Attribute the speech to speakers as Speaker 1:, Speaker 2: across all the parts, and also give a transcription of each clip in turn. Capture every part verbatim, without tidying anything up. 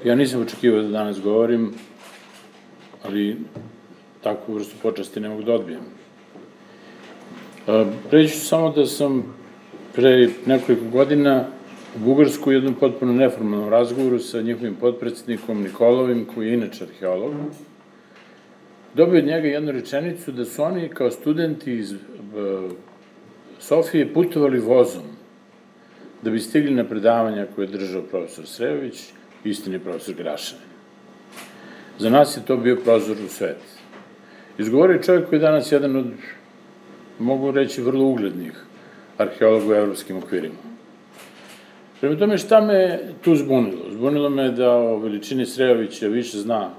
Speaker 1: Ja nisam očekivao da danas govorim, ali takvu vrstu počasti ne mogu da odbijem. Reći ću samo da sam pre nekoliko godina u Bugarsku u jednom potpuno neformalnom razgovoru sa njihovim potpredsednikom Nikolovim, koji je inače arheolog, dobio od njega jednu rečenicu da su oni kao studenti iz Sofije putovali vozom da bi stigli na predavanja koje je držao profesor Srejović, istini profesor Grašanin. Za nas je to bio prozor u svet. Izgovorio je čovjek koji je danas jedan od, mogu reći, vrlo uglednih arheologa u evropskim okvirima. Prema tome, šta me tu zbunilo? Zbunilo me da o veličini Srejovića više zna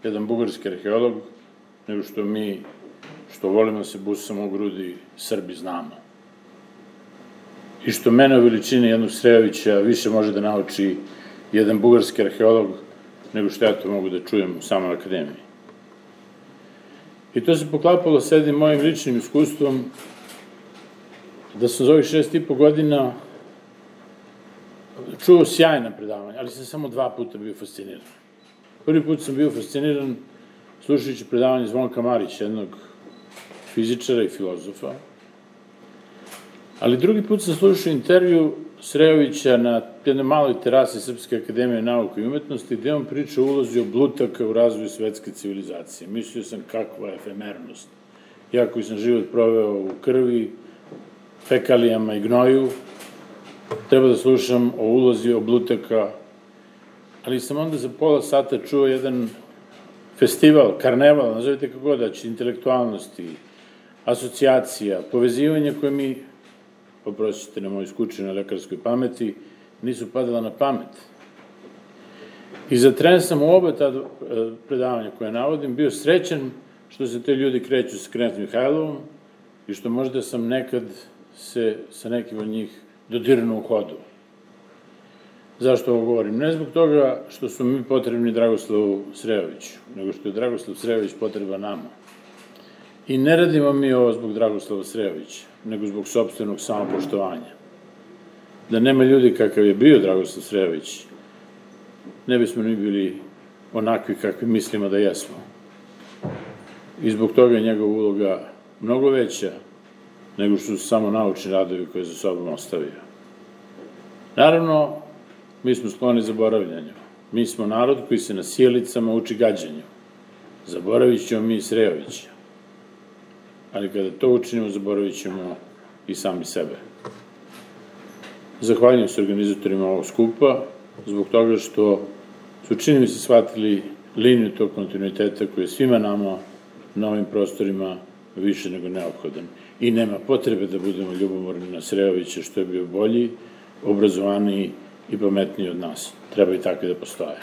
Speaker 1: jedan bugarski arheolog nego što mi, što volimo da se busamo u grudi, Srbi znamo. I što mene o veličini jednog Srejovića više može da nauči jedan bugarski arheolog nego što ja to mogu da čujem u samoj akademiji. I to se poklapalo sa jednim mojim ličnim iskustvom da sam za ovih šest i po godina čuo sjajna predavanja, ali sam samo dva puta bio fasciniran. Prvi put sam bio fasciniran slušajući predavanje Zvonka Marića, jednog fizičara i filozofa, ali drugi put sam slušao intervju Srejovića na jednoj maloj terasi Srpske akademije nauke i umetnosti, gde on priča o ulozi oblutaka u razvoju svetske civilizacije. Mislio sam kakva je efemernost. Ja koji sam život proveo u krvi, fekalijama i gnoju, treba da slušam o ulozi oblutaka, ali sam onda za pola sata čuo jedan festival, karneval, nazovite kako god, znači intelektualnosti, asocijacija, povezivanja koje mi, oprostite na mojoj skučenoj lekarskoj pameti, nisu padala na pamet. I za tren sam u oba ta predavanja koje navodim bio srećan što se te ljudi kreću sa Knez Mihajlovom i što možda sam nekad se sa nekim od njih dodirnuo u hodu. Zašto ovo govorim? Ne zbog toga što su mi potrebni Dragoslavu Srejoviću, nego što je Dragoslav Srejović potreba nama. I ne radimo mi ovo zbog Dragoslava Srejovića, nego zbog sopstvenog samopoštovanja. Da nema ljudi kakav je bio Dragoslav Srejović, ne bismo ni bili onakvi kakvi mislimo da jesmo. I zbog toga je njegova uloga mnogo veća nego što su samo naučni radovi koje za sobom ostavio. Naravno, mi smo skloni zaboravljanju. Mi smo narod koji se na sjelicama uči gađanju. Zaboravit ćemo mi Srejovića. Ali kada to učinimo, zaboravit ćemo i sami sebe. Zahvaljujem se organizatorima ovog skupa, zbog toga što su, čini mi se, shvatili liniju tog kontinuiteta koji je svima nama na ovim prostorima više nego neophodan. I nema potrebe da budemo ljubomorni na Srejovića što je bio bolji, obrazovaniji i pametniji od nas. Treba i takvi da postoje.